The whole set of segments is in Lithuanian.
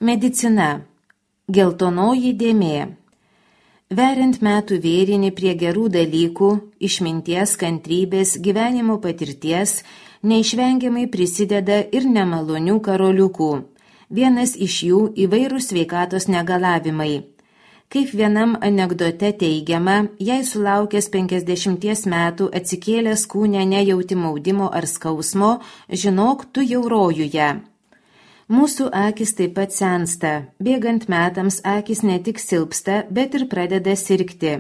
Medicina. Geltonoji dėmė. Veriant metų vėrinį prie gerų dalykų, išminties, kantrybės, gyvenimo patirties, neišvengiamai prisideda ir nemalonių karoliukų. Vienas iš jų įvairūs sveikatos negalavimai. Kaip vienam anekdote teigiama, jei sulaukęs 50 metų atsikėlęs kūne nejauti maudimo ar skausmo, žinok, tu jau rojuje. Mūsų akis taip pat sensta. Bėgant metams akis ne tik silpsta, bet ir pradeda sirgti.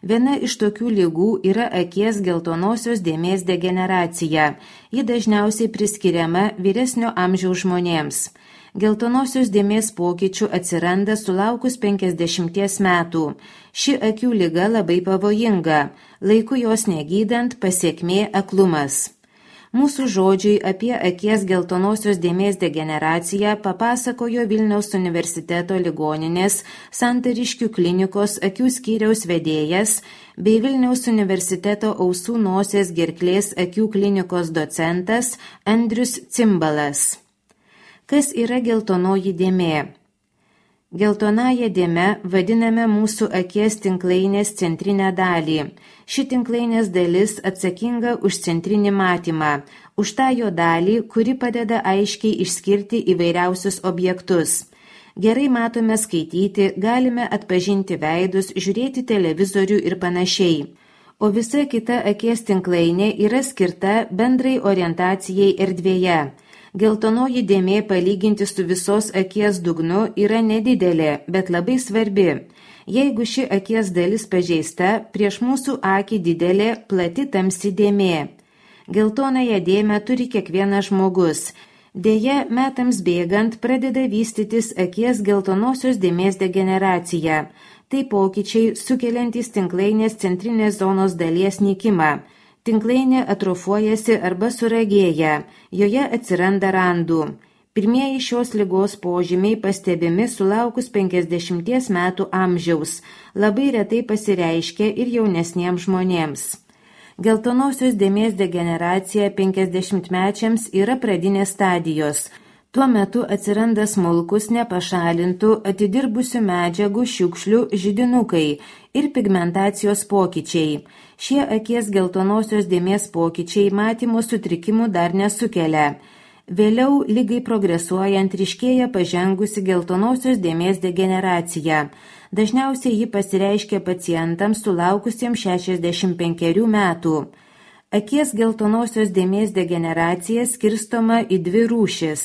Viena iš tokių ligų yra akies geltonosios dėmės degeneracija. Ji dažniausiai priskiriama vyresnio amžiaus žmonėms. Geltonosios dėmės pokyčių atsiranda sulaukus 50 metų. Ši akių liga labai pavojinga. Laiku jos negydant pasekmė aklumas. Mūsų žodžiai apie akies geltonosios dėmės degeneraciją papasakojo Vilniaus universiteto ligoninės Santariškių klinikos akių skyriaus vedėjas bei Vilniaus universiteto ausų nosies gerklės akių klinikos docentas Andrius Cimbalas. Kas yra geltonoji dėmė? Geltonąją dėmę vadiname mūsų akies tinklainės centrinę dalį. Ši tinklainės dalis atsakinga už centrinį matymą, už tą jo dalį, kuri padeda aiškiai išskirti įvairiausius objektus. Gerai matome skaityti, galime atpažinti veidus, žiūrėti televizorių ir panašiai. O visa kita akies tinklainė yra skirta bendrai orientacijai erdvėje. Geltonoji dėmė palyginti su visos akies dugnu yra nedidelė, bet labai svarbi. Jeigu ši akies dalis pažeista, prieš mūsų akį didelė, plati tamsi dėmė. Geltonąją dėmę turi kiekvienas žmogus. Deja, metams bėgant pradeda vystytis akies geltonosios dėmės degeneracija. Tai pokyčiai sukeliantys tinklainės centrinės zonos dalies nykimą. Tinklainė atrofuojasi arba suragėja, joje atsiranda randų. Pirmieji šios ligos požymiai pastebimi sulaukus 50 metų amžiaus, labai retai pasireiškia ir jaunesniems žmonėms. Geltonosios dėmės degeneracija 50-mečiams yra pradinės stadijos. Tuo metu atsiranda smulkus, nepašalintų, atidirbusių medžiagų, šiukšlių, židinukai ir pigmentacijos pokyčiai. Šie akies geltonosios dėmės pokyčiai matymo sutrikimų dar nesukelia. Vėliau ligai progresuojant ryškėja pažengusi geltonosios dėmės degeneracija. Dažniausiai ji pasireiškia pacientams sulaukusiems 65 metų. Akies geltonosios dėmės degeneracija skirstoma į dvi rūšis.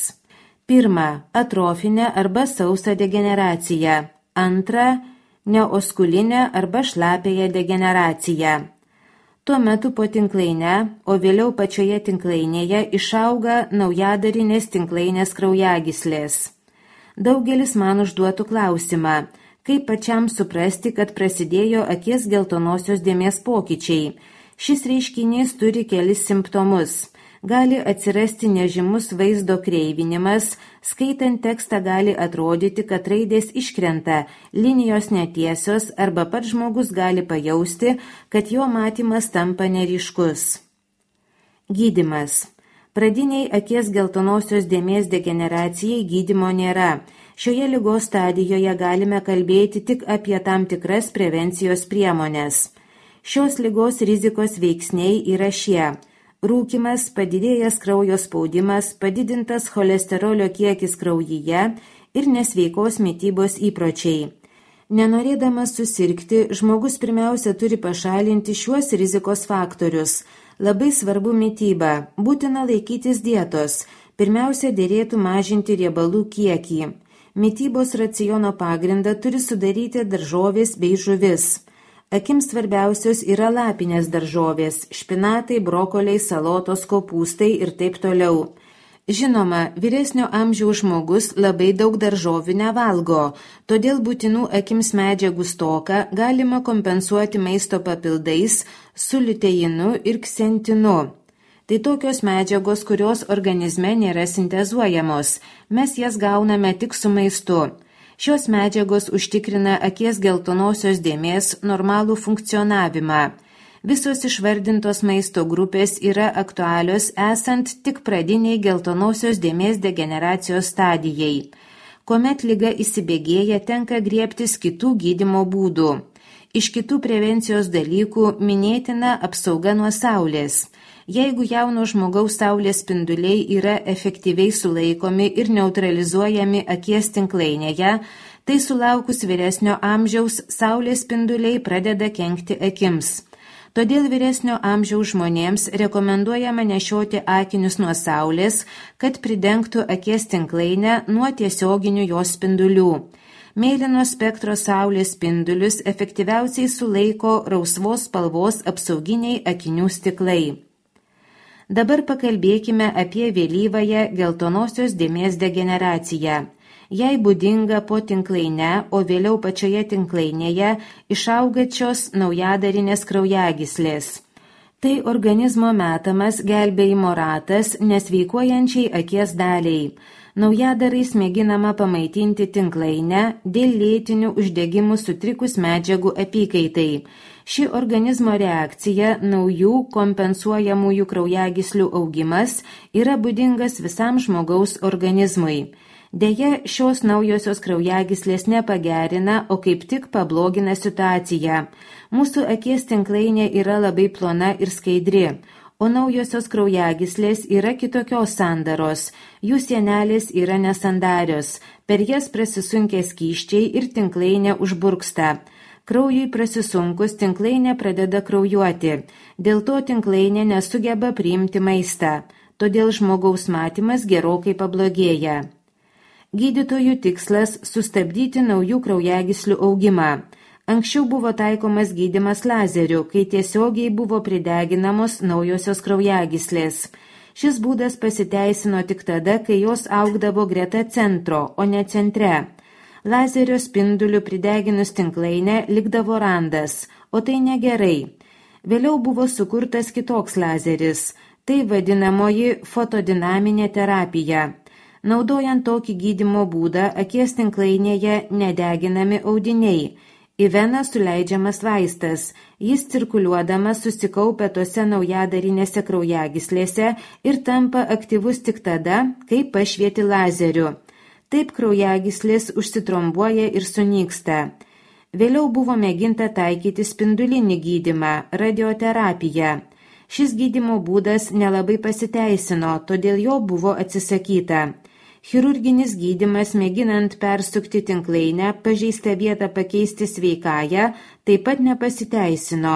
Pirma, atrofinė arba sausa degeneracija. Antra, neoskulinė arba šlapiąją degeneraciją. Tuo metu po tinklainę, o vėliau pačioje tinklainėje išauga naujadarinės tinklainės kraujagyslės. Daugelis man užduotų klausimą, kaip pačiam suprasti, kad prasidėjo akies geltonosios dėmės pokyčiai. Šis reiškinys turi kelis simptomus. Gali atsirasti nežymus vaizdo kreivinimas, skaitant tekstą gali atrodyti, kad raidės iškrenta, linijos netiesios arba pats žmogus gali pajausti, kad jo matymas tampa neryškus. Gydymas. Pradiniai akies geltonosios dėmės degeneracijai gydymo nėra. Šioje ligos stadijoje galime kalbėti tik apie tam tikras prevencijos priemones. Šios ligos rizikos veiksniai yra šie: rūkymas, padidėjęs kraujo spaudimas, padidintas cholesterolio kiekis kraujyje ir nesveikos mitybos įpročiai. Nenorėdamas susirgti, žmogus pirmiausia turi pašalinti šiuos rizikos faktorius. Labai svarbu mityba, būtina laikytis dietos. Pirmiausia, derėtų mažinti riebalų kiekį. Mitybos raciono pagrindą turi sudaryti daržovės bei žuvis. Akims svarbiausios yra lapinės daržovės, špinatai, brokoliai, salotos, kopūstai ir taip toliau. Žinoma, vyresnio amžiaus žmogus labai daug daržovių nevalgo, todėl būtinų akims medžiagų stoką galima kompensuoti maisto papildais su liuteinu ir ksentinu. Tai tokios medžiagos, kurios organizme nėra sintezuojamos, mes jas gauname tik su maistu. Šios medžiagos užtikrina akies geltonosios dėmės normalų funkcionavimą. Visos išvardintos maisto grupės yra aktualios esant tik pradiniai geltonosios dėmės degeneracijos stadijai. Kuomet liga įsibėgėja, tenka griebtis kitų gydymo būdų. Iš kitų prevencijos dalykų minėtina apsauga nuo saulės. Jeigu jauno žmogaus saulės spinduliai yra efektyviai sulaikomi ir neutralizuojami akies tinklainėje, tai sulaukus vyresnio amžiaus saulės spinduliai pradeda kenkti akims. Todėl vyresnio amžiaus žmonėms rekomenduojama nešioti akinius nuo saulės, kad pridengtų akies tinklainę nuo tiesioginių jos spindulių. Mėlyno spektro saulės spindulius efektyviausiai sulaiko rausvos spalvos apsauginiai akinių stiklai. Dabar pakalbėkime apie vėlyvąją geltonosios dėmės degeneraciją. Jai būdinga po tinklaine, o vėliau pačioje tinklainėje išaugačios naujadarinės kraujagyslės. Tai organizmo metamas gelbėjimo ratas nesveikuojančiai akies daliai. Naujadarais mėginama pamaitinti tinklainę dėl lėtinių uždegimų sutrikus medžiagų apykaitai. Ši organizmo reakcija, naujų kompensuojamųjų kraujagyslių augimas, yra būdingas visam žmogaus organizmui. Deja, šios naujosios kraujagyslės nepagerina, o kaip tik pablogina situaciją. Mūsų akies tinklainė yra labai plona ir skaidri, o naujosios kraujagyslės yra kitokios sandaros. Jų sienelės yra nesandarios, per jas prasisunkia skysčiai ir tinklainė užburksta. Kraujui prasisunkus tinklainė pradeda kraujuoti, dėl to tinklainė nesugeba priimti maistą, todėl žmogaus matymas gerokai pablogėja. Gydytojų tikslas – sustabdyti naujų kraujagyslių augimą. Anksčiau buvo taikomas gydymas lazeriu, kai tiesiogiai buvo prideginamos naujosios kraujagyslės. Šis būdas pasiteisino tik tada, kai jos augdavo greta centro, o ne centre. Lazerio spinduliu prideginus tinklainę likdavo randas, o tai negerai. Vėliau buvo sukurtas kitoks lazeris, tai vadinamoji fotodinaminė terapija. Naudojant tokį gydymo būdą, akies tinklainėje nedeginami audiniai. Į veną suleidžiamas vaistas, jis cirkuliuodamas susikaupia tose naujadarinėse kraujagyslėse ir tampa aktyvus tik tada, kai pašvieti lazeriu. Taip kraujagyslės užsitrombuoja ir sunyksta. Vėliau buvo mėginta taikyti spindulinį gydymą, radioterapiją. Šis gydymo būdas nelabai pasiteisino, todėl jo buvo atsisakyta. Chirurginis gydymas, mėginant persukti tinklainę, pažeistą vietą pakeisti sveikąją, taip pat nepasiteisino.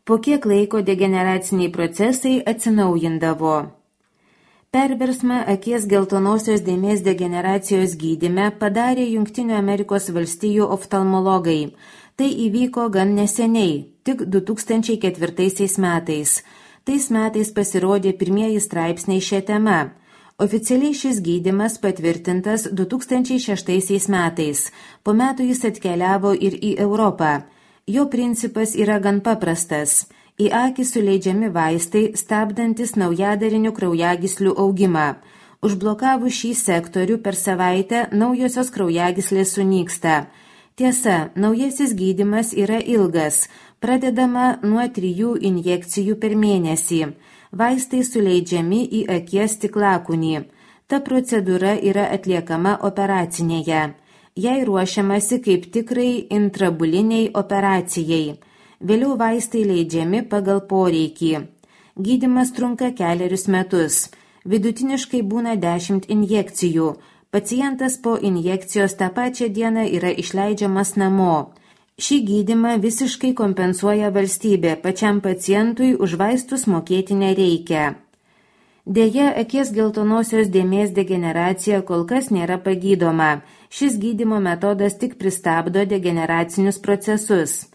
Po kiek laiko degeneraciniai procesai atsinaujindavo. Perversmą akies geltonosios dėmės degeneracijos gydyme padarė Jungtinių Amerikos valstijų oftalmologai. Tai įvyko gan neseniai, tik 2004 metais. Tais metais pasirodė pirmieji straipsniai šią temą. Oficialiai šis gydymas patvirtintas 2006 metais. Po metų jis atkeliavo ir į Europą. Jo principas yra gan paprastas. Į akį suleidžiami vaistai, stabdantis naujadarinių kraujagyslių augimą. Užblokavus šį sektorių per savaitę naujosios kraujagyslės sunyksta. Tiesa, naujasis gydymas yra ilgas, pradedama nuo 3 injekcijų per mėnesį. Vaistai suleidžiami į akies stiklakūnį. Ta procedūra yra atliekama operacinėje. Jai ruošiamasi kaip tikrai intrabuliniai operacijai. Vėliau vaistai leidžiami pagal poreikį. Gydymas trunka 4 metus. Vidutiniškai būna 10 injekcijų. Pacientas po injekcijos tą pačią dieną yra išleidžiamas namo. Šį gydymą visiškai kompensuoja valstybė, pačiam pacientui už vaistus mokėti nereikia. Deja, akies geltonosios dėmės degeneracija kol kas nėra pagydoma. Šis gydymo metodas tik pristabdo degeneracinius procesus.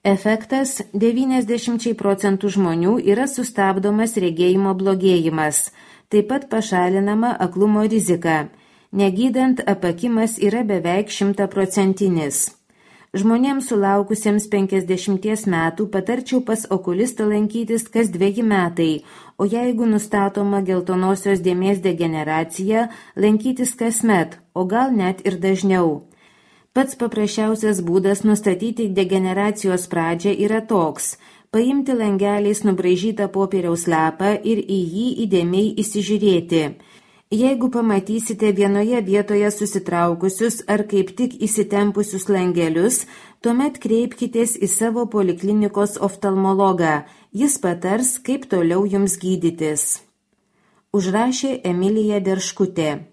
Efektas – 90% žmonių yra sustabdomas regėjimo blogėjimas. Taip pat pašalinama aklumo rizika. Negydant, apakimas yra beveik 100%. Žmonėms sulaukusiems 50 metų patarčiau pas okulistą lankytis kas 2 metai, o jeigu nustatoma geltonosios dėmės degeneracija, lankytis kasmet, o gal net ir dažniau. Pats paprasčiausias būdas nustatyti degeneracijos pradžią yra toks – paimti langeliais nubraižytą popieriaus lapą ir į jį įdėmiai įsižiūrėti. Jeigu pamatysite vienoje vietoje susitraukusius ar kaip tik įsitempusius langelius, tuomet kreipkitės į savo poliklinikos oftalmologą. Jis patars, kaip toliau jums gydytis. Užrašė Emilija Derškutė.